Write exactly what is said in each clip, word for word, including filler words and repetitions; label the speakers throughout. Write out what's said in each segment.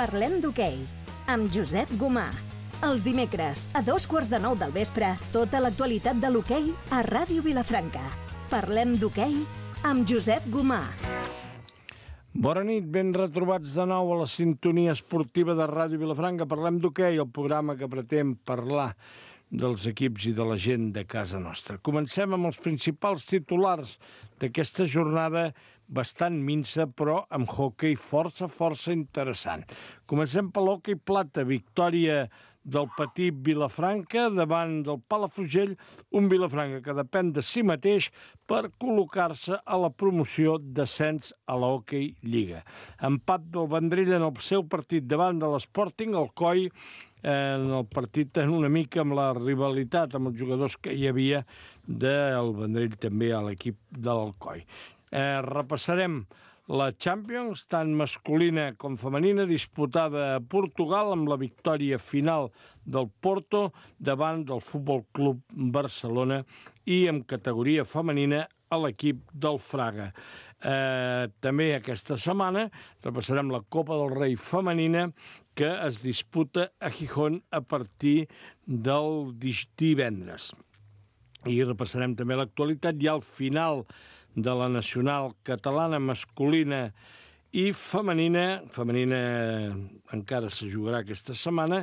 Speaker 1: Parlem d'hoquei, amb Josep Gomà. Els dimecres, a dos quarts de nou del vespre, tota l'actualitat de l'hoquei a Ràdio Vilafranca. Parlem d'hoquei amb Josep Gomà.
Speaker 2: Bona nit, ben retrobats de nou a la sintonia esportiva de Ràdio Vilafranca. Parlem d'hoquei, el programa que pretén parlar dels equips i de la gent de casa nostra. Comencem amb els principals titulars d'aquesta jornada bastant minsa, però amb hoquei força, força interessant. Comencem per l'hoquei plata, victòria del petit Vilafranca davant del Palafrugell, un Vilafranca que depèn de si mateix per col·locar-se a la promoció d'ascens a l'Hockey Lliga. Empat del Vendrell en el seu partit davant de l'Sporting, el Coi, en el partit una mica amb la rivalitat amb els jugadors que hi havia del Vendrell també a l'equip de l'Alcoi. Eh, repassarem la Champions, tant masculina com femenina, disputada a Portugal amb la victòria final del Porto davant del Futbol Club Barcelona i en categoria femenina a l'equip del Fraga. Eh, també aquesta setmana repassarem la Copa del Rei femenina que es disputa a Gijón a partir del divendres. I repassarem també l'actualitat i al final de la nacional catalana masculina i femenina, femenina encara se jugarà aquesta setmana,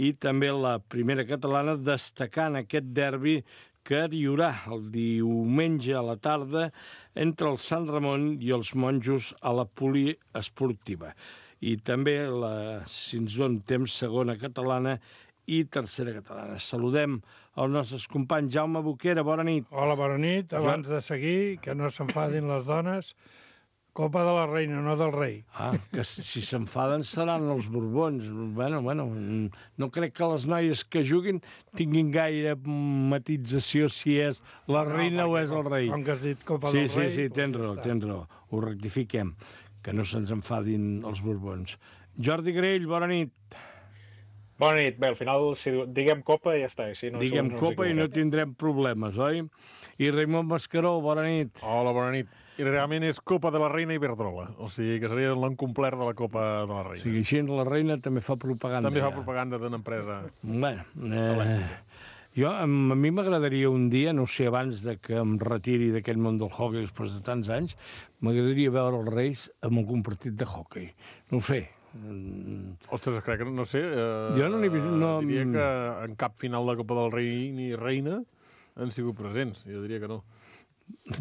Speaker 2: i també la primera catalana, destacant aquest derbi que hi haurà el diumenge a la tarda entre el Sant Ramon i els monjos a la poliesportiva. I també la, si ens dona temps, segona catalana i tercera catalana. Saludem els nostres companys. Jaume Boquera, bona nit.
Speaker 3: Hola, bona nit. Abans de seguir, que no s'enfadin les dones, Copa de la Reina, no del rei.
Speaker 2: Ah, que si s'enfaden seran els Borbons. Bueno, bueno, no crec que les noies que juguin tinguin gaire matització si és la no, reina o és el rei.
Speaker 3: Com que has dit Copa
Speaker 2: sí,
Speaker 3: del
Speaker 2: sí,
Speaker 3: rei...
Speaker 2: Sí, sí, tens raó, tens raó. Ho rectifiquem, que no se'ns enfadin els Borbons. Jordi Grell, bona nit.
Speaker 4: Bona nit. Bé, al final, si diguem Copa, ja està. Si no,
Speaker 2: diguem
Speaker 4: no
Speaker 2: Copa i no tindrem problemes, oi? I Raimon Mascaró, bona nit.
Speaker 5: Hola, bona nit. I realment és Copa de la Reina Iberdrola. O sigui, que seria l'encomplert de la Copa de la Reina.
Speaker 2: O sigui, així la Reina també fa propaganda.
Speaker 5: També fa propaganda d'una empresa.
Speaker 2: Bueno, eh, jo, a mi m'agradaria un dia, no sé, abans de que em retiri d'aquest món del hockey després de tants anys, m'agradaria veure els Reis amb algun partit de hockey. No ho sé.
Speaker 5: Ostres, crec que no sé. Eh,
Speaker 2: jo no n'he vist... No...
Speaker 5: Diria que en cap final de Copa del Rei ni Reina han sigut presents. Jo diria que no.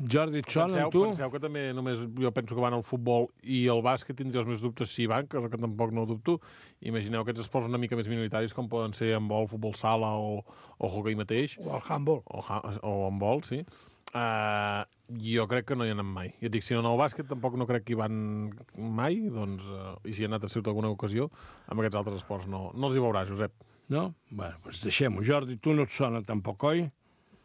Speaker 2: Jordi, et sona, tu?
Speaker 5: Penseu que també només jo penso que van al futbol i el bàsquet tindria els més dubtes si van, cosa que tampoc no dubto. Imagineu aquests esports una mica més minoritaris com poden ser handbol, futbol sala o, o hoquei mateix.
Speaker 3: O el handbol.
Speaker 5: O, o handbol, sí. Uh, jo crec que no hi ha anat mai. Jo dic, si no, el bàsquet tampoc no crec que hi van mai, doncs, uh, i si hi ha anat a sigut alguna ocasió, amb aquests altres esports no, no els hi veurà, Josep.
Speaker 2: No? Bé, doncs deixem-ho. Jordi, tu no et sona tampoc, oi?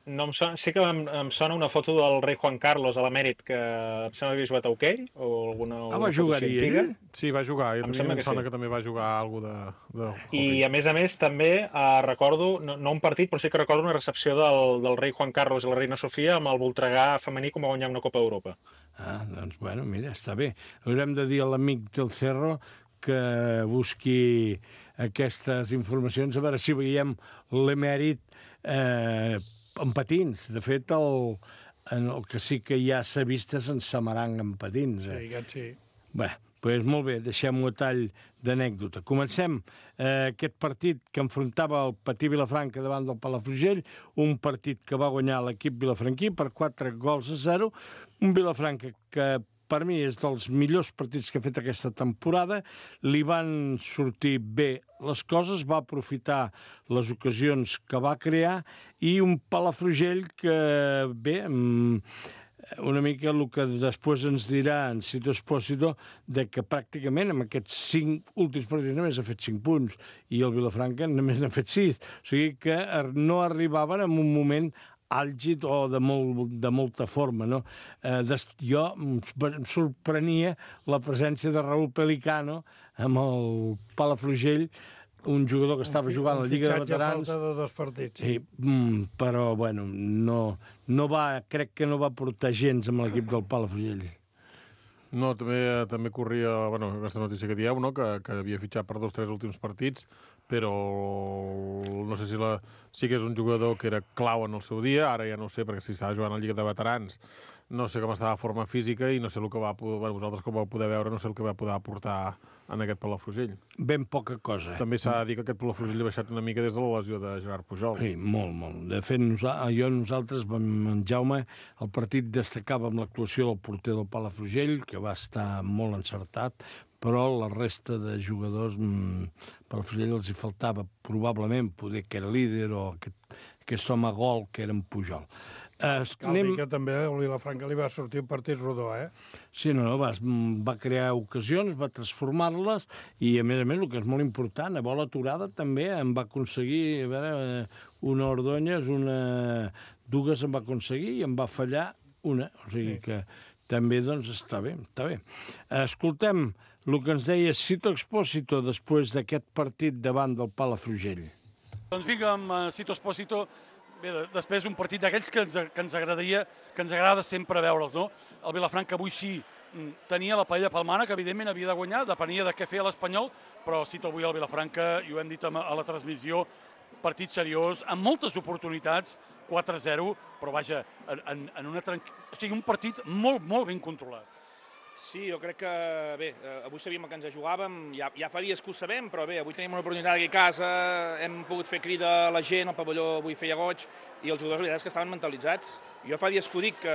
Speaker 4: No em sona, sí que em, em sona una foto del rei Juan Carlos a l'emèrit, que em sembla que havia jugat a hoquei, o alguna,
Speaker 2: ah, va jugar-hi ell?
Speaker 5: Sí, va jugar. I
Speaker 4: em,
Speaker 5: em sembla que,
Speaker 4: sí.
Speaker 5: que també va jugar alguna de, de
Speaker 4: I, a més a més, també eh, recordo, no, no un partit, però sí que recordo una recepció del, del rei Juan Carlos i la reina Sofia amb el Voltregà femení com va guanyar una Copa d'Europa.
Speaker 2: Ah, doncs, bueno, mira, està bé. Haurem de dir a l'amic del Cerro que busqui aquestes informacions, a veure si veiem l'emèrit eh, en patins. De fet, el, en el que sí que ja s'ha vist és en Samarang en patins. Eh?
Speaker 3: Sí, aquest sí.
Speaker 2: Bé, doncs molt bé, deixem-ho a tall d'anècdota. Comencem eh, aquest partit que enfrontava el Patí Vilafranca davant del Palafrugell, un partit que va guanyar l'equip vilafranquí per quatre gols a zero, un Vilafranca que per mi és dels millors partits que ha fet aquesta temporada. Li van sortir bé les coses, va aprofitar les ocasions que va crear, i un Palafrugell que, bé, una mica el que després ens dirà en Cito Espósito, de que pràcticament amb aquests cinc últims partits només ha fet cinc punts i el Vilafranca només n'ha fet sis. O sigui que no arribaven en un moment àlgid o de, molt, de molta forma, no? Eh, des, jo em sorprenia la presència de Raúl Pelicano amb el Palafrugell, un jugador que estava jugant a la Lliga de Veterans.
Speaker 3: Falta de dos partits.
Speaker 2: Sí, mm, però, bueno, no, no va, crec que no va portar gens amb l'equip del Palafrugell.
Speaker 5: No, també també corria, bueno, aquesta notícia que dieu, no? que, que havia fitxat per dos o tres últims partits, però no sé si la, sí que és un jugador que era clau en el seu dia, ara ja no ho sé, perquè si estava jugant a la Lliga de Veterans, no sé com estava la forma física i no sé el que va poder, bueno, vosaltres com vau poder veure, no sé el que va poder aportar en aquest Palafrugell.
Speaker 2: Ben poca cosa.
Speaker 5: També s'ha de dir que aquest Palafrugell ha baixat una mica des de la lesió de Gerard Pujol.
Speaker 2: Sí, molt, molt. De fet, nosa, jo nosaltres, en Jaume, el partit destacava amb l'actuació del porter del Palafrugell, que va estar molt encertat, però la resta de jugadors, mmm, Palafrugell els hi faltava probablement poder que era líder o aquest, aquest home gol que era en Pujol.
Speaker 3: Uh, Cal anem... dir que també al Vilafranca li va sortir un partit rodó, eh?
Speaker 2: Sí, no, no, va, va crear ocasions, va transformar-les i, a més a més, el que és molt important, a bola aturada també em va aconseguir, a veure, una Ordóñez, una... dues em va aconseguir i em va fallar una. O sigui sí. que també, doncs, està bé, està bé. Escoltem el que ens deia Sito Expósito després d'aquest partit davant del Palafrugell.
Speaker 6: Doncs vinga, amb uh, Sito Expósito. Bé, després un partit d'aquells que ens, que ens agradaria, que ens agrada sempre veure'ls, no? El Vilafranca avui sí tenia la paella palmana, que evidentment havia de guanyar, depenia de què feia l'Espanyol, però cito avui el Vilafranca, i ho hem dit a la transmissió, partit seriós, amb moltes oportunitats, quatre a zero, però vaja, en, en una tranqu... o sigui, un partit molt, molt ben controlat.
Speaker 7: Sí, jo crec que, bé, avui sabíem que ens jugàvem, ja, ja fa dies que ho sabem, però bé, avui tenim una oportunitat aquí a casa, hem pogut fer crida a la gent, el pavelló avui feia goig, i els jugadors, la veritat és que estaven mentalitzats. Jo fa dies que ho dic, que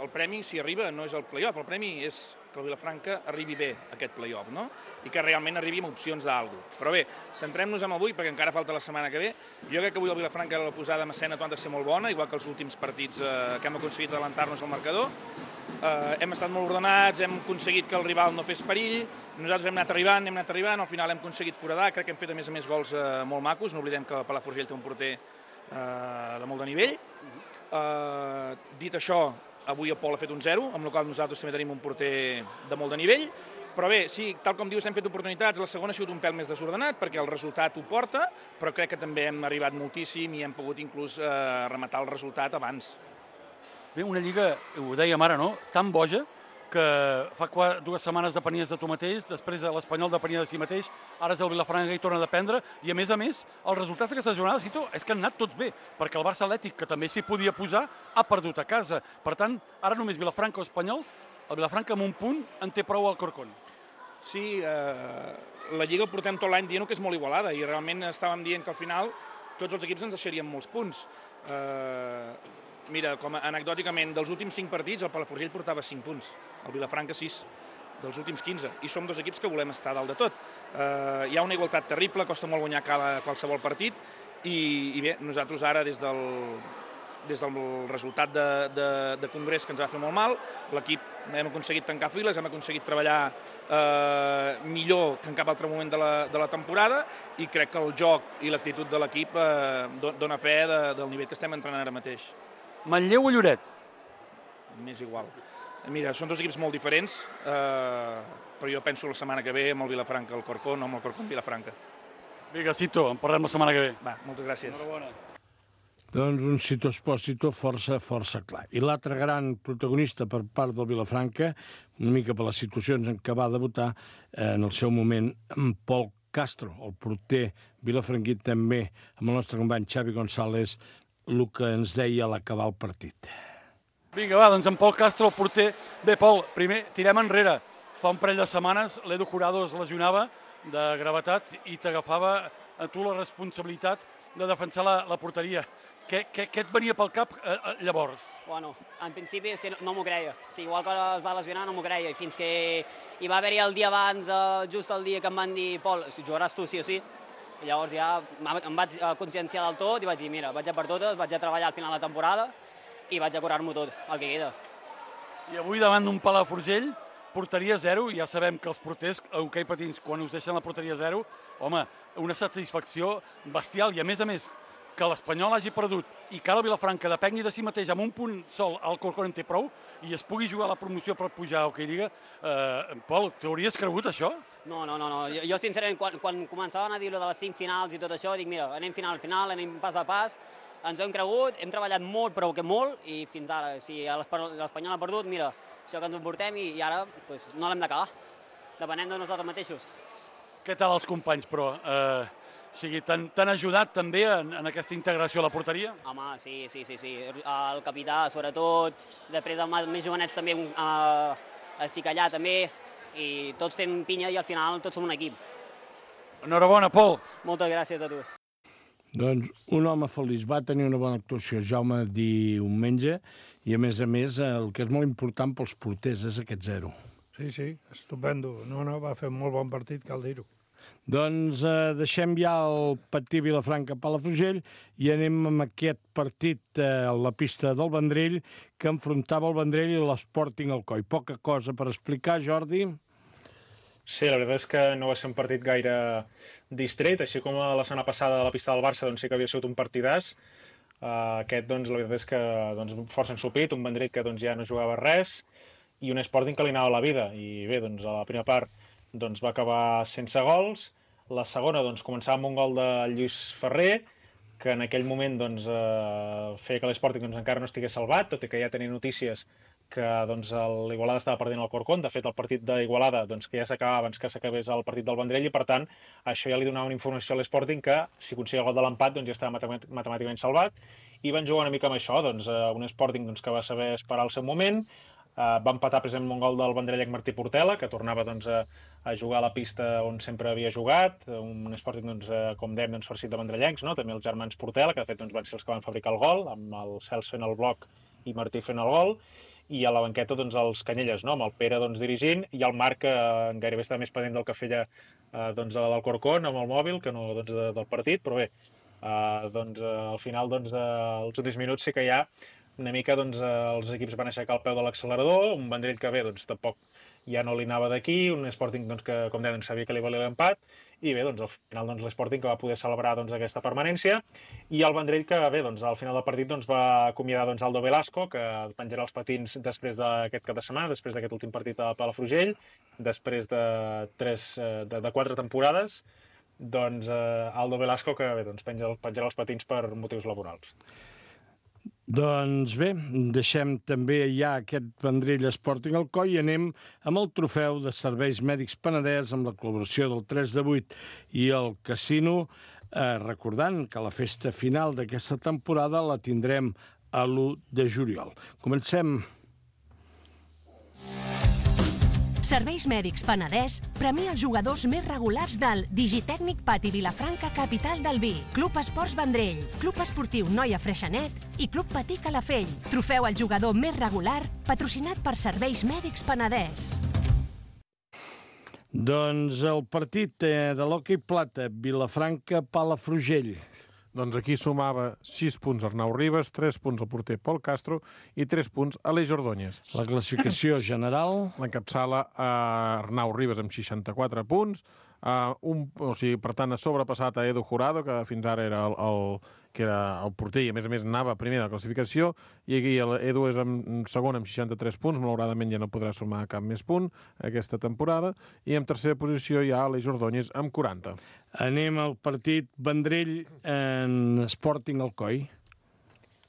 Speaker 7: el premi, si arriba, no és el play-off, el premi és que el Vilafranca arribi bé a aquest play-off, no? I que realment arribi amb opcions d'algú. Però bé, centrem-nos en avui, perquè encara falta la setmana que ve. Jo crec que avui el Vilafranca, la posada en escena ha de ser molt bona, igual que els últims partits eh, que hem aconseguit adelantar-nos al marcador. Uh, hem estat molt ordenats, hem aconseguit que el rival no fes perill, nosaltres hem anat arribant, hem anat arribant, al final hem aconseguit foradar, crec que hem fet a més a més gols uh, molt macos, no oblidem que el Palafrugell té un porter uh, de molt de nivell. Uh, dit això, avui el Pol ha fet un zero, amb el qual nosaltres també tenim un porter de molt de nivell, però bé, sí, tal com dius, hem fet oportunitats, la segona ha sigut un pèl més desordenat, perquè el resultat ho porta, però crec que també hem arribat moltíssim i hem pogut inclús uh, rematar el resultat abans.
Speaker 6: Bé, una lliga, ho dèiem ara, no?, tan boja, que fa quatre, dues setmanes depenies de tu mateix, després l'Espanyol depenia de si mateix, ara és el Vilafranca i torna a dependre, i a més a més, el resultat d'aquesta jornada, Cito, és que han anat tots bé, perquè el Barça Atlètic, que també s'hi podia posar, ha perdut a casa. Per tant, ara només Vilafranca o Espanyol, el Vilafranca amb un punt en té prou al Corcón.
Speaker 7: Sí, eh, la Lliga portem tot l'any dient que és molt igualada, i realment estàvem dient que al final tots els equips ens deixarien molts punts. Eh... Mira, com anecdòticament, dels últims cinc partits, el Palafrugell portava cinc punts, el Vilafranca sis, dels últims quinze, i som dos equips que volem estar dalt de tot. Eh, hi ha una igualtat terrible, costa molt guanyar cada, qualsevol partit, i, i bé, nosaltres ara, des del, des del resultat de, de, de congrés que ens va fer molt mal, l'equip hem aconseguit tancar files, hem aconseguit treballar eh, millor que en cap altre moment de la, de la temporada, i crec que el joc i l'actitud de l'equip eh, dona fe de, del nivell que estem entrenant ara mateix.
Speaker 6: Manlleu o Lloret?
Speaker 7: M'és igual. Mira, són dos equips molt diferents, eh, però jo penso la setmana que ve amb el Vilafranca al Corcón, no amb el Corcón Vilafranca.
Speaker 6: Vinga, Cito, en parlem la setmana que ve.
Speaker 7: Va, moltes gràcies.
Speaker 6: Enhorabona.
Speaker 2: Doncs un Cito Expósito força, força clar. I l'altre gran protagonista per part del Vilafranca, una mica per les situacions en què va debutar, eh, en el seu moment, en Pol Castro, el porter vilafranquit també, amb el nostre company Xavi González, el que ens deia a l'acabar el partit.
Speaker 6: Vinga, va, doncs en Pol Castro, el porter. Bé, Pol, primer, tirem enrere. Fa un parell de setmanes l'Edu Curado es lesionava de gravetat i t'agafava a tu la responsabilitat de defensar la, la porteria. Què, què, què et venia pel cap eh, llavors?
Speaker 8: Bueno, en principi és que no, no m'ho creia. Sí, igual que es va lesionar no m'ho creia. I fins que hi va haver-hi el dia abans, eh, just el dia que em van dir Pol, jugaràs tu sí o sí. I llavors ja em vaig conscienciar del tot i vaig dir, mira, vaig a per totes, vaig a treballar al final de la temporada i vaig a curar-m'ho tot, el que queda.
Speaker 6: I avui davant d'un Palafrugell, porteria zero, i ja sabem que els porters a hoquei patins, quan us deixen la porteria zero, home, una satisfacció bestial, i a més a més, que l'Espanyol hagi perdut i que ara el Vilafranca depengui de si mateix amb un punt sol al Corcón en té prou i es pugui jugar la promoció per pujar a Hoquei Lliga, eh, Pol, t'hauries cregut això?
Speaker 8: No, no, no, no. Jo, jo sincerament, quan, quan començaven a dir de les cinc finals i tot això, dic, mira, anem final a final, anem pas a pas, ens ho hem cregut, hem treballat molt, però que molt, i fins ara, si l'Espanyol ha perdut, mira, això que ens emportem i, i ara pues, no l'hem d'acabar, depenent de nosaltres mateixos.
Speaker 6: Què tal els companys, però? Eh, o sigui, t'han ajudat també en, en aquesta integració a la porteria?
Speaker 8: Home, sí, sí, sí, sí. El capità, sobretot, després els més jovenets també, eh, estic allà també, i tots fem pinya i al final tots som un equip.
Speaker 6: Enhorabona, Pol.
Speaker 8: Moltes gràcies a tu.
Speaker 2: Doncs un home feliç, va tenir una bona actuació, Jaume, diumenge, i a més a més el que és molt important pels porters és aquest zero.
Speaker 3: Sí, sí, estupendo. No, no, va fer un molt bon partit, cal dir-ho.
Speaker 2: Doncs eh, deixem ja el Patí Vilafranca-Palafrugell i anem amb aquest partit eh, a la pista del Vendrell que enfrontava el Vendrell i l'Sporting Alcoi. Poca cosa per explicar, Jordi.
Speaker 4: Sí, la veritat és que no va ser un partit gaire distret, així com la setmana passada a la pista del Barça doncs sí que havia sigut un partidàs. Uh, aquest, doncs, la veritat és que doncs, força ensupit, un Vendrell que doncs, ja no jugava res i un Sporting que li anava la vida. I bé, doncs, a la primera part doncs, va acabar sense gols. La segona doncs, començava amb un gol de Lluís Ferrer, que en aquell moment doncs, uh, feia que l'Sporting doncs, encara no estigués salvat, tot i que ja tenia notícies que doncs, l'Igualada estava perdent el Corcón. De fet, el partit d'Igualada doncs, que ja s'acabava abans que s'acabés el partit del Vendrell i, per tant, això ja li donava una informació a l'Sporting que, si aconseguia el gol de l'empat, doncs, ja estava matemàticament salvat. I van jugar una mica amb això, doncs, un Sporting doncs, que va saber esperar el seu moment. Uh, va empatar precisament un gol del vendrellenc Martí Portela, que tornava doncs, a, a jugar a la pista on sempre havia jugat. Un Sporting, doncs, uh, com dèiem, doncs, farcit de vendrellencs, no? També els germans Portela, que de fet doncs, van ser els que van fabricar el gol, amb el Cels fent el bloc i Martí fent el gol. I a la banqueta doncs, els Canyelles, no? Amb el Pere doncs, dirigint, i el Marc que eh, gairebé estava més pendent del que feia eh, doncs, l'Alcorcón amb el mòbil que no doncs, de, del partit, però bé, eh, doncs, eh, al final, doncs, eh, els últims minuts sí que ja una mica doncs, eh, els equips van aixecar el peu de l'accelerador, un Vendrell que bé, doncs, tampoc ja no li anava d'aquí, un Sporting doncs, que, com deien, sabia que li valia l'empat, i bé, doncs, al final doncs, l'Sporting que va poder celebrar doncs, aquesta permanència, i el Vendrell que bé, doncs, al final del partit doncs, va acomiadar doncs, Aldo Velasco, que penjarà els patins després d'aquest cap de setmana, després d'aquest últim partit a Palafrugell, després de, tres, de, de quatre temporades, doncs eh, Aldo Velasco que bé, doncs, penja, penjarà els patins per motius laborals.
Speaker 2: Doncs bé, deixem també ja aquest Vendrell Sporting Alcoi i anem amb el trofeu de Serveis Mèdics Penedès amb la col·laboració del tres de vuit i el Casino, eh, recordant que la festa final d'aquesta temporada la tindrem a l'u de juliol. Comencem.
Speaker 1: Serveis Mèdics Penedès premia els jugadors més regulars del Digitècnic Pati Vilafranca Capital del Vi, Club Esports Vendrell, Club Esportiu Noia Freixenet i Club Patí Calafell. Trofeu al jugador més regular, patrocinat per Serveis Mèdics Penedès.
Speaker 2: Doncs el partit de l'hoquei plata, Vilafranca-Palafrugell.
Speaker 5: Doncs aquí sumava sis punts Arnau Ribas, tres punts el porter Pol Castro i tres punts Aleix Ordóñez.
Speaker 2: La classificació general...
Speaker 5: L'encapçala uh, Arnau Ribas amb seixanta-quatre punts, uh, un, o sigui, per tant, ha sobrepassat a Edu Jurado, que fins ara era el, el, que era el porter i, a més a més, anava primer de la classificació, i aquí Edu és en segon amb seixanta-tres punts, malauradament ja no podrà sumar cap més punt aquesta temporada, i en tercera posició hi ha Aleix Ordóñez amb quaranta.
Speaker 2: Anem al partit Vendrell en Sporting Alcoi.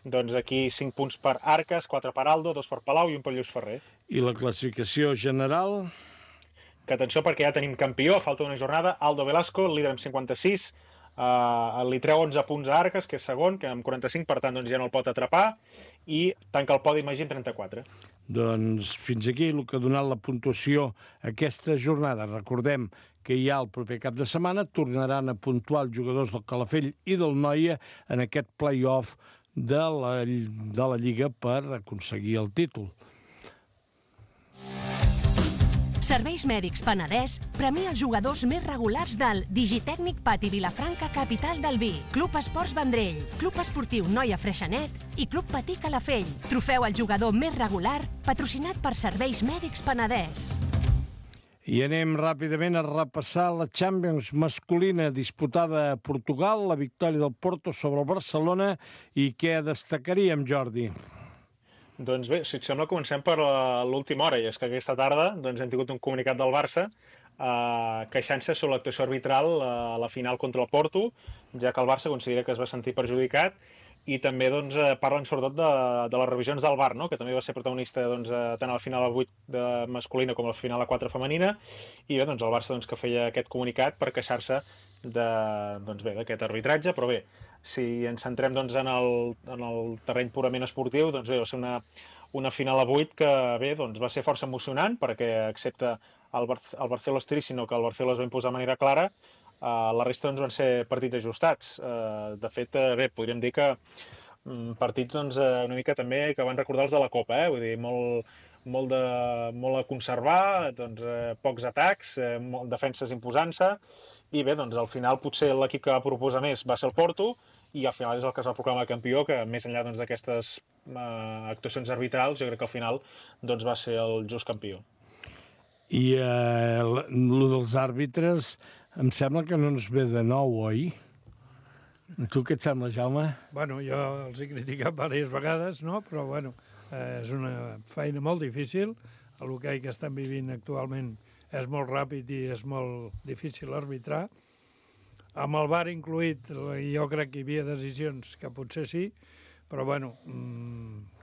Speaker 4: Doncs aquí cinc punts per Arques, quatre per Aldo, dos per Palau i un per Lluís Ferrer.
Speaker 2: I la classificació general...
Speaker 4: Que atenció perquè ja tenim campió, falta una jornada, Aldo Velasco, líder amb cinquanta-sis, uh, li treu onze punts a Arques, que és segon, que amb quaranta-cinc, per tant doncs, ja no el pot atrapar, i tanca el podi Magí amb trenta-quatre.
Speaker 2: Doncs fins aquí el que ha donat la puntuació aquesta jornada. Recordem que hi ha el proper cap de setmana, tornaran a puntuar els jugadors del Calafell i del Noia en aquest play-off de la, de la Lliga per aconseguir el títol.
Speaker 1: Serveis Mèdics Penedès premia els jugadors més regulars del Digitècnic Pati Vilafranca Capital del Vi, Club Esports Vendrell, Club Esportiu Noia Freixenet i Club Patí Calafell. Trofeu al jugador més regular, patrocinat per Serveis Mèdics Penedès.
Speaker 2: I anem ràpidament a repassar la Champions masculina disputada a Portugal, la victòria del Porto sobre el Barcelona, i què destacaríem, Jordi?
Speaker 4: Doncs bé, si et sembla, comencem per l'última hora, i és que aquesta tarda doncs, hem tingut un comunicat del Barça eh, queixant-se sobre l'actuació arbitral a la final contra el Porto, ja que el Barça considera que es va sentir perjudicat i també doncs, eh, parlen sobretot de, de les revisions del V A R, no? Que també va ser protagonista doncs, eh, tant a la final a vuit de masculina com a la final a quatre femenina, i bé, doncs el Barça doncs, que feia aquest comunicat per queixar-se d'aquest doncs, bé, d'aquest arbitratge, però bé, si ens centrem doncs, en, el, en el terreny purament esportiu, doncs bé, va ser una, una final a vuit que bé, doncs, va ser força emocionant, perquè excepte el, Bar el Barcelona Estiri, sinó que el Barcelona es va imposar de manera clara. Uh, la resta doncs, van ser partits ajustats. Uh, de fet, uh, bé, podríem dir que um, partits doncs, uh, una mica també que van recordar els de la Copa, eh? Vull dir, molt, molt, de, molt a conservar, doncs, uh, pocs atacs, uh, molt, defenses imposant-se, i bé, doncs al final potser l'equip que va proposar més va ser el Porto, i al final és el que es va proclamar campió, que més enllà doncs, d'aquestes uh, actuacions arbitrals, jo crec que al final doncs, va ser el just campió.
Speaker 2: I eh, el dels àrbitres em sembla que no ens ve de nou, oi? A tu què et sembla, Jaume?
Speaker 3: Bueno, jo els he criticat diverses vegades, no? Però, bueno, eh, és una feina molt difícil. L'hoquei que estem vivint actualment és molt ràpid i és molt difícil arbitrar. Amb el V A R incluït, jo crec que hi havia decisions que potser sí, però, bueno,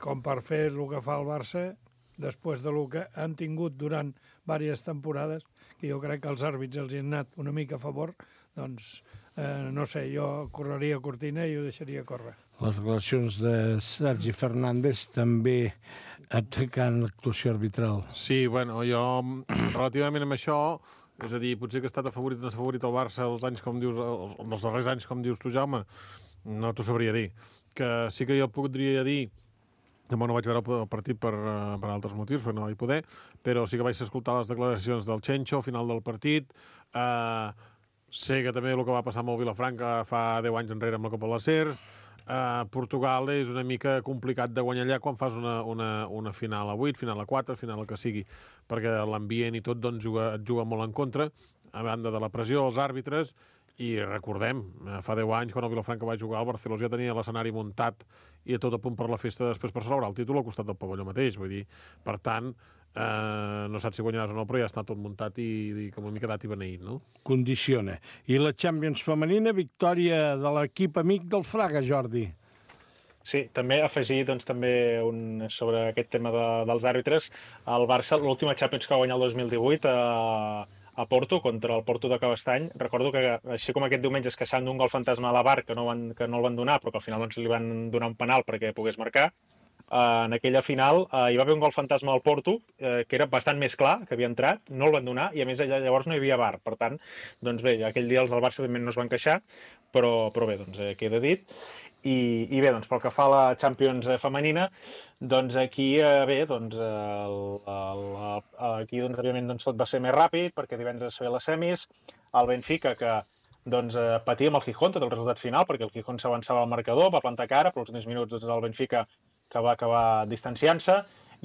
Speaker 3: com per fer el que fa el Barça, després de lo que han tingut durant diverses temporades, que jo crec que els àrbits els hi han anat una mica a favor, doncs, eh, no sé, jo correria cortina i ho deixaria córrer.
Speaker 2: Les declaracions de Sergi Fernández també atacant l'actuació arbitral.
Speaker 5: Sí, bueno, jo, relativament amb això, és a dir, potser que ha estat afavorit o no afavorit el Barça els anys, com dius, els, els darrers anys, com dius tu, Jaume, no t'ho sabria dir. Que sí que jo podria dir, demà no vaig veure el partit per, per altres motius, perquè no vaig poder, però sí que vaig escoltar les declaracions del Chencho al final del partit. Uh, sé que també el que va passar amb el Vilafranca fa deu anys enrere amb la Copa de les Cers. Uh, Portugal és una mica complicat de guanyar allà quan fas una, una, una final a vuit, final a quatre, final el que sigui, perquè l'ambient i tot doncs, juga, et juga molt en contra, a banda de la pressió, els àrbitres. I recordem, fa deu anys, quan el Vilafranca va jugar, el Barcelona ja tenia l'escenari muntat i tot a punt per la festa després per celebrar el títol al costat del pavelló mateix. Vull dir, per tant, eh, no saps si guanyaràs o no, però ja està tot muntat i, i com una mica dat i beneït, no?
Speaker 2: Condiciona. I la Champions femenina, victòria de l'equip amic del Fraga, Jordi.
Speaker 4: Sí, també afegir doncs, també un, sobre aquest tema de, dels àrbitres. El Barça, l'última Champions que va guanyar el dos mil divuit, a, a Porto, contra el Porto de Cabestany. Recordo que, així com aquest diumenge es queixaven d'un gol fantasma a la V A R, que no, van, que no el van donar, però que al final doncs, li van donar un penal perquè pogués marcar, Uh, en aquella final uh, hi va haver un gol fantasma al Porto, uh, que era bastant més clar, que havia entrat, no el van donar, i a més allà llavors no hi havia V A R. Per tant, doncs bé, aquell dia els del Barça no es van queixar, però, però bé, doncs eh, queda dit. I, i bé, doncs pel que fa a la Champions femenina, doncs aquí, eh, bé, doncs, el, el, el, aquí doncs, òbviament doncs, tot va ser més ràpid, perquè divendres es feia les semis, el Benfica, que doncs, eh, patia amb el Gijón tot el resultat final, perquè el Gijón s'avançava al marcador, va plantar cara, però els últims minuts doncs, el Benfica que va acabar distanciant-se,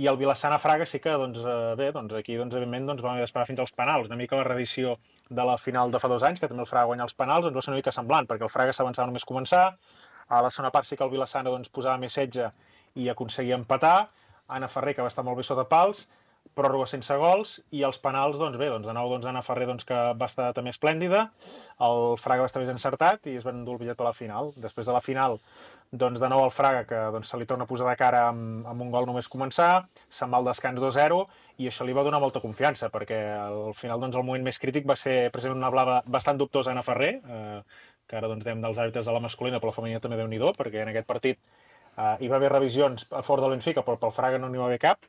Speaker 4: i el Vilassana Fraga sí que, doncs, eh, bé, doncs aquí, doncs, evidentment, doncs, vam haver d'esperar fins als penals. Una mica la reedició de la final de fa dos anys, que també el Fraga guanyar els penals, doncs va ser una mica semblant, perquè el Fraga s'avançava només començar, a la segona part sí que el Vilassana doncs, posava més setge i aconseguia empatar, Anna Ferrer, que va estar molt bé sota pals, pròrroga sense gols, i els penals, doncs bé, doncs, de nou doncs, Anna Ferrer, doncs, que va estar també esplèndida, el Fraga va estar més encertat i es van endur el bitllet per la final. Després de la final, doncs, de nou el Fraga, que doncs, se li torna a posar de cara amb, amb un gol només començar, se'n va al descans dos zero, i això li va donar molta confiança, perquè al final doncs, el moment més crític va ser precisament una blava bastant dubtosa a Anna Ferrer, eh, que ara doncs, dèiem dels àrbitres de la masculina, però la femenina també déu-n'hi-do, perquè en aquest partit eh, hi va haver revisions a favor del Benfica, però pel Fraga no n'hi va haver cap.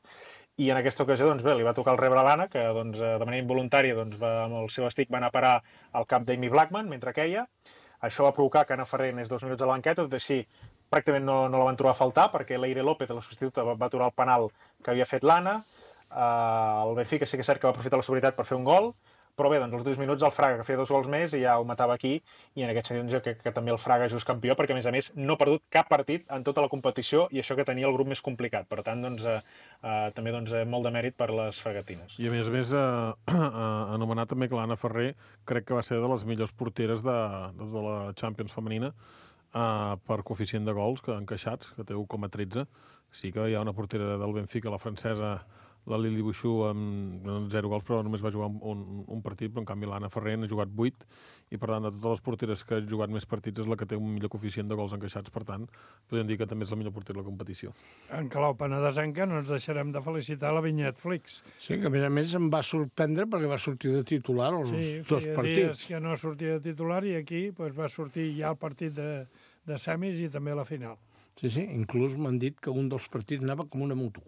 Speaker 4: I en aquesta ocasió, doncs bé, li va tocar el rebre l'Anna, que doncs, de manera involuntària doncs, va, amb el seu estic va anar a parar al cap d'Amy Blackman mentre queia. Això va provocar que Anna Ferrer anés dos minuts a la banqueta, tot així pràcticament no, no la van trobar a faltar, perquè Leire López, la substituta, va, va aturar el penal que havia fet l'Anna. Uh, el Benfica sí que és cert que va aprofitar la sobretot per fer un gol, però bé, doncs els dos minuts el Fraga, que feia dos gols més, i ja ho matava aquí, i en aquest sentit jo crec que, que també el Fraga és just campió, perquè a més a més no ha perdut cap partit en tota la competició, i això que tenia el grup més complicat. Per tant, doncs, eh, eh, també doncs, eh, molt de mèrit per les fragatines.
Speaker 5: I a més a més, eh, eh, anomenar també que l'Anna Ferrer crec que va ser de les millors porteres de, de la Champions femenina, eh, per coeficient de gols que encaixats, que té u coma tretze. Sí que hi ha una portera del Benfica, la francesa la Lili Buixú amb zero gols, però només va jugar un, un partit, però en canvi l'Anna Ferrer n'ha jugat vuit, i per tant, de totes les porteres que ha jugat més partits és la que té un millor coeficient de gols encaixats, per tant, podríem dir que també és la millor portera de la competició.
Speaker 3: En clau penedesenca no ens deixarem de felicitar la Vinyet Flix.
Speaker 2: Sí, que a més a més em va sorprendre perquè va sortir de titular els
Speaker 3: sí,
Speaker 2: dos partits.
Speaker 3: Sí, que no sortia de titular i aquí pues, va sortir ja el partit de, de semis i també la final.
Speaker 2: Sí, sí, inclús m'han dit que un dels partits anava com una moto.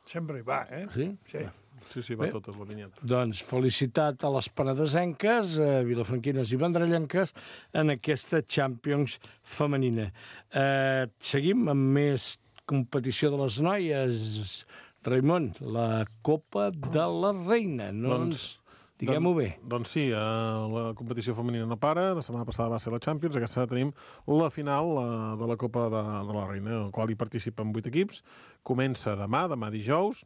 Speaker 3: Sempre hi va, eh?
Speaker 2: Sí?
Speaker 3: Sí.
Speaker 5: Sí, sí, va Bé, totes la vinyeta.
Speaker 2: Doncs felicitat a les penedesenques, a vilafranquines i vendrellenques en aquesta Champions femenina. Eh, seguim amb més competició de les noies. Raimon, la Copa de la Reina. No doncs, ens... Diguem-ho bé.
Speaker 5: Doncs sí, eh, la competició femenina no para. La setmana passada va ser la Champions. Aquesta tenim la final la, de la Copa de, de la Reina, en la qual hi participen vuit equips. Comença demà, demà dijous,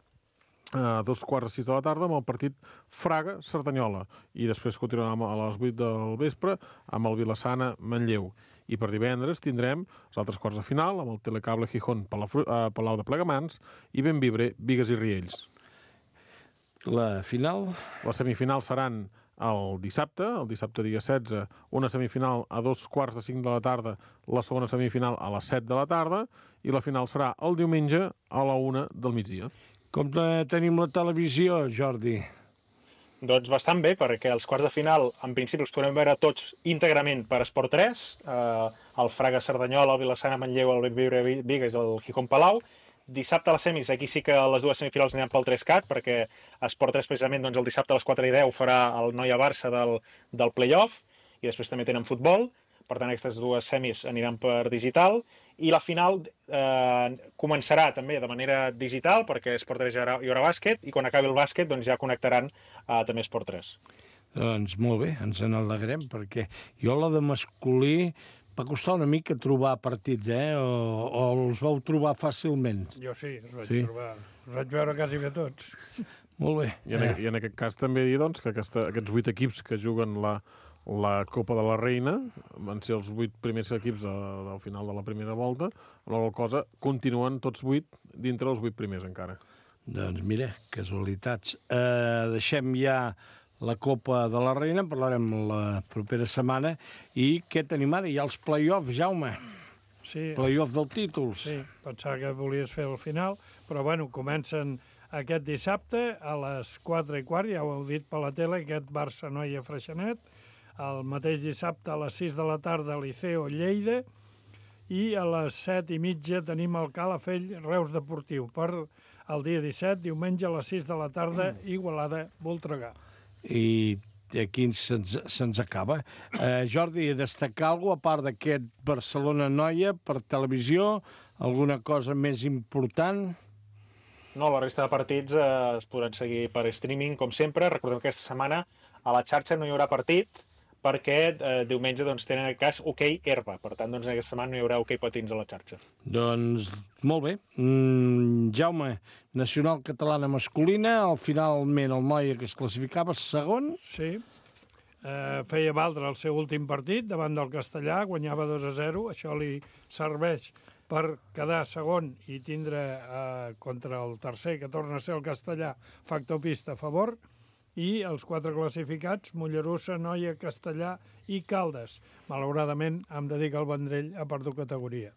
Speaker 5: a dos quarts de sis de la tarda amb el partit Fraga-Cerdanyola, i després continuarà a les vuit del vespre amb el Vilassana-Manlleu, i per divendres tindrem els altres quarts de final amb el Telecable Gijón Palau de Plegamans i Benvibre Bigues i Riells.
Speaker 2: La final?
Speaker 5: Les semifinals seran el dissabte, el dissabte dia setze, una semifinal a dos quarts de cinc de la tarda, la segona semifinal a les set de la tarda, i la final serà el diumenge a la una del migdia.
Speaker 2: Com tenim la televisió, Jordi?
Speaker 4: Doncs bastant bé, perquè els quarts de final, en principi, els podrem veure tots íntegrament per Esport tres, eh, el Fraga Cerdanyola, el Vilassana Manlleu, el Benvibre Bigues i el Gijón Palau. Dissabte a les semis, aquí sí que les dues semifinals aniran pel tres cat, perquè Esport tres, precisament, doncs, el dissabte a les quatre i deu farà el Noia-Barça del, del play-off, i després també tenen futbol. Per tant, aquestes dues semis aniran per digital, i la final eh, començarà també de manera digital, perquè Esport tres hi haurà, hi haurà bàsquet, i quan acabi el bàsquet doncs ja connectaran eh, també Esport tres.
Speaker 2: Doncs molt bé, ens n'alegrem, perquè jo la de masculí va costar una mica trobar partits, eh? O, o els vau trobar fàcilment?
Speaker 3: Jo sí, els vaig
Speaker 2: sí?
Speaker 3: trobar. Els vaig veure quasi bé tots.
Speaker 2: Molt bé.
Speaker 5: I en, eh. i en aquest cas també dir doncs, que aquesta, aquests vuit equips que juguen la, la Copa de la Reina van ser els vuit primers equips de, del final de la primera volta, amb la qual cosa continuen tots vuit dintre els vuit primers encara.
Speaker 2: Doncs mira, casualitats. Eh, deixem ja la Copa de la Reina, parlarem la propera setmana. I què tenim ara? Hi ha els play-offs, Jaume.
Speaker 3: Sí.
Speaker 2: Play-off del títol.
Speaker 3: Sí, pensava que volies fer el final, però bueno, comencen aquest dissabte a les quatre i quart, ja ho heu dit per la tele, aquest Barça-Noia Freixenet. El mateix dissabte a les sis de la tarda Liceo Lleida, i a les set i mitja tenim el Calafell Reus Deportiu. Per el dia disset, diumenge a les sis de la tarda, Igualada Voltregà.
Speaker 2: I aquí se'ns se acaba. Eh, Jordi, destacar alguna cosa, a part d'aquest Barcelona-Noia, per televisió? Alguna cosa més important?
Speaker 4: No, la resta de partits eh, es podran seguir per streaming, com sempre. Recordem que aquesta setmana a la xarxa no hi haurà partit, perquè eh, diumenge doncs, tenen en cas hoquei herba. Per tant, doncs, aquesta setmana no hi haurà hoquei patins a la xarxa.
Speaker 2: Doncs molt bé. Mm, Jaume, nacional catalana masculina, al finalment el Noia, que es classificava segon.
Speaker 3: Sí, eh, feia valdre el seu últim partit davant del Castellà, guanyava dos a zero, això li serveix per quedar segon i tindre eh, contra el tercer, que torna a ser el Castellà, factor pista a favor, i els quatre classificats, Mollerussa, Noia, Castellà i Caldes. Malauradament, hem de dir que el Vendrell ha perdut categoria.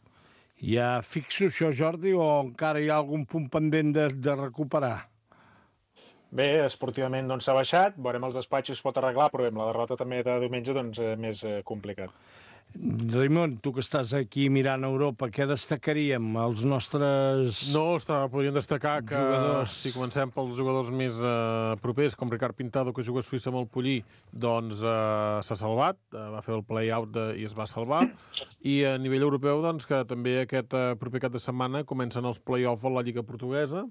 Speaker 2: Ja fixo això, Jordi, o encara hi ha algun punt pendent de, de recuperar?
Speaker 4: Bé, esportivament doncs, s'ha baixat, veurem els despatxos, es pot arreglar, però bé, la derrota també de diumenge doncs, eh, més eh, complicat.
Speaker 2: Raimon, tu que estàs aquí mirant a Europa, què destacaríem? Els nostres
Speaker 5: No, està, podríem destacar que
Speaker 2: jugadors.
Speaker 5: Si comencem pels jugadors més eh, propers, com Ricard Pintado, que juga a Suïssa amb el Pollí, doncs eh, s'ha salvat, eh, va fer el play-out i es va salvar. I a nivell europeu, doncs, que també aquest eh, proper cap de setmana comencen els play-off a la Lliga Portuguesa,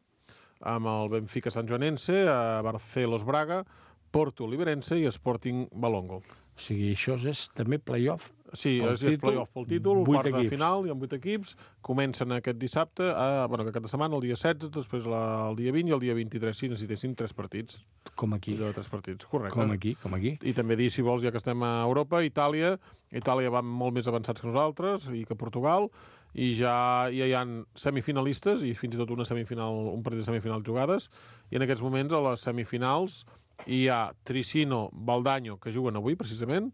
Speaker 5: amb el Benfica Sant Joanense, a Barcelos Braga, Porto Liberense i Sporting Balongo.
Speaker 2: O sigui, això és també play-off?
Speaker 5: Sí, és, és play-off pel títol, quart de final, hi ha vuit equips, comencen aquest dissabte, a, bueno, aquest setmana, el dia setze, després la, el dia vint i el dia vint-i-tres, si necessitessin tres partits.
Speaker 2: Com aquí.
Speaker 5: De tres partits, correcte.
Speaker 2: Com aquí, com aquí.
Speaker 5: I també dir, si vols, ja que estem a Europa, Itàlia, Itàlia va molt més avançats que nosaltres i que Portugal, i ja, ja hi ha semifinalistes i fins i tot una semifinal, un partit de semifinals jugades, i en aquests moments a les semifinals hi ha Tricino, Baldaño, que juguen avui precisament,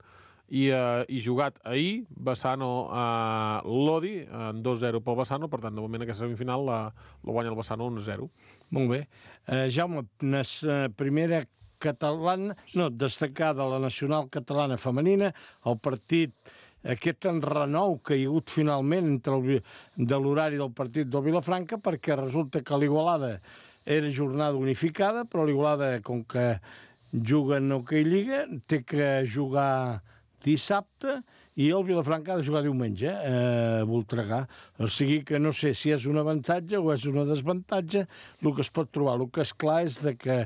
Speaker 5: i, uh, i jugat ahir Bassano a uh, Lodi en dos zero pel Bassano, per tant de moment aquesta semifinal la, la guanya el Bassano un zero.
Speaker 2: Molt bé. Uh, Jaume, nes, uh, primera catalana, no, destacada la nacional catalana femenina, el partit, aquest enrenou que hi ha hagut finalment entre el, de l'horari del partit del Vilafranca, perquè resulta que l'Igualada era jornada unificada, però l'Igualada, com que juga en Hockey Lliga, té que jugar dissabte i el Vilafranca ha de jugar diumenge a Voltregà. O sigui que no sé si és un avantatge o és una desavantatge el que es pot trobar. El que és clar és de que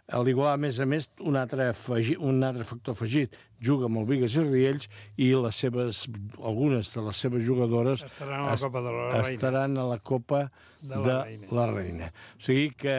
Speaker 2: l'Igualada, a més a més, un altre, afegit, un altre factor afegit, juga amb el Bigues i Riells i les seves, algunes de les seves jugadores
Speaker 3: estaran a la Copa de la Reina.
Speaker 2: Estaran a la Copa de, de la, Reina. la Reina. O sigui que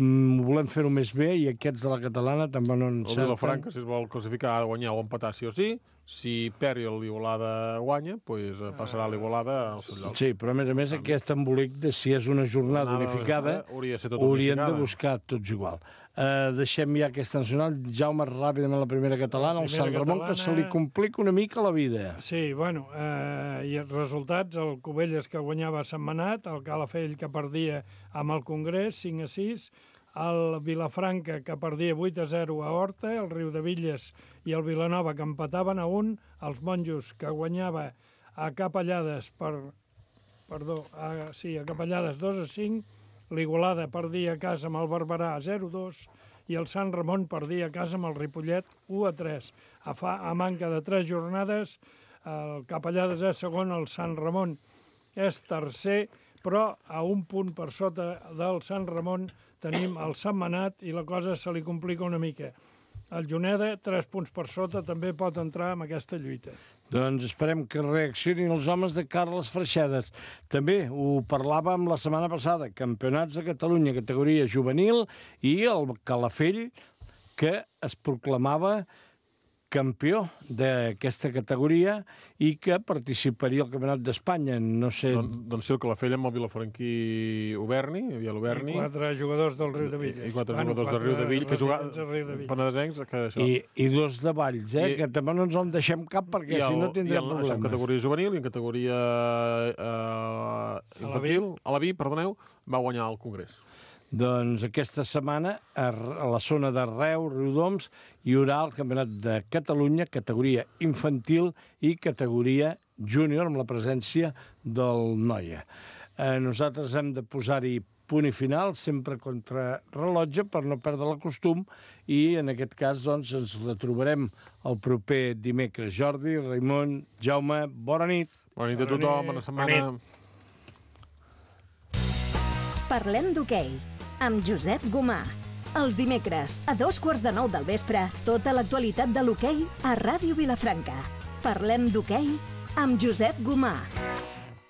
Speaker 2: mm, volem fer-ho més bé i aquests de la catalana també no encerten.
Speaker 5: El Vilafranca, si es vol classificar, ha de guanyar o empatar sí o sí. Si perd i l'Igualada guanya, pues, passarà l'Igualada al seu lloc.
Speaker 2: Sí, però a més a més aquest embolic de si és una jornada Anada, unificada
Speaker 5: hauria de ser tot
Speaker 2: haurien
Speaker 5: unificada.
Speaker 2: de buscar tots igual. Uh, deixem ja aquesta nacional. Jaume, ràpidament la primera catalana, el Sant Ramon, catalana... que se li complica una mica la vida.
Speaker 3: Sí, bueno, eh, i els resultats, el Cubelles que guanyava a Sentmenat, el Calafell que perdia amb el Congrés, cinc a sis, el Vilafranca que perdia vuit a zero a Horta, el Riudevilles i el Vilanova que empataven a un, els Monjos que guanyava a Capellades per, perdó, a, sí, a Capellades dos a cinc, l'Igualada perdia a casa amb el Barberà zero a dos i el Sant Ramon perdia a casa amb el Ripollet u a tres. A, fa, a manca de tres jornades, el Capellades és segon, el Sant Ramon és tercer, però a un punt per sota del Sant Ramon tenim el Sentmenat i la cosa se li complica una mica. El Juneda, tres punts per sota, també pot entrar en aquesta lluita.
Speaker 2: Doncs esperem que reaccionin els homes de Carles Freixedes. També ho parlàvem la setmana passada, campionats de Catalunya, categoria juvenil, i el Calafell, que es proclamava campió d'aquesta categoria i que participaria al Campionat d'Espanya. No sé...
Speaker 5: Don, doncs sí, el Calafell amb el Vilafranquí Uberni, hi havia l'Uberni.
Speaker 3: I quatre jugadors del Riudevilles.
Speaker 5: I, i quatre bueno, jugadors del Riudevilles que jugaven penedesencs. Que això...
Speaker 2: I, I dos de Valls, eh? I, que també no ens en deixem cap perquè el, si no tindrem
Speaker 5: el,
Speaker 2: problemes.
Speaker 5: En categoria juvenil i en categoria eh, infantil, a la V I, perdoneu, va guanyar el Congrés.
Speaker 2: Doncs aquesta setmana a la zona de Reus, Riudoms, hi haurà el Campionat de Catalunya, categoria infantil i categoria júnior, amb la presència del Noia. Eh, nosaltres hem de posar-hi punt i final, sempre contra rellotge, per no perdre el costum, i en aquest cas doncs, ens retrobarem el proper dimecres. Jordi, Raimon, Jaume, bona nit.
Speaker 5: Bona nit a tothom, bona setmana.
Speaker 1: Parlem d'hoquei amb Josep Gomà. Els dimecres, a dos quarts de nou del vespre, tota l'actualitat de l'hoquei a Ràdio Vilafranca. Parlem d'hoquei amb Josep Gomà.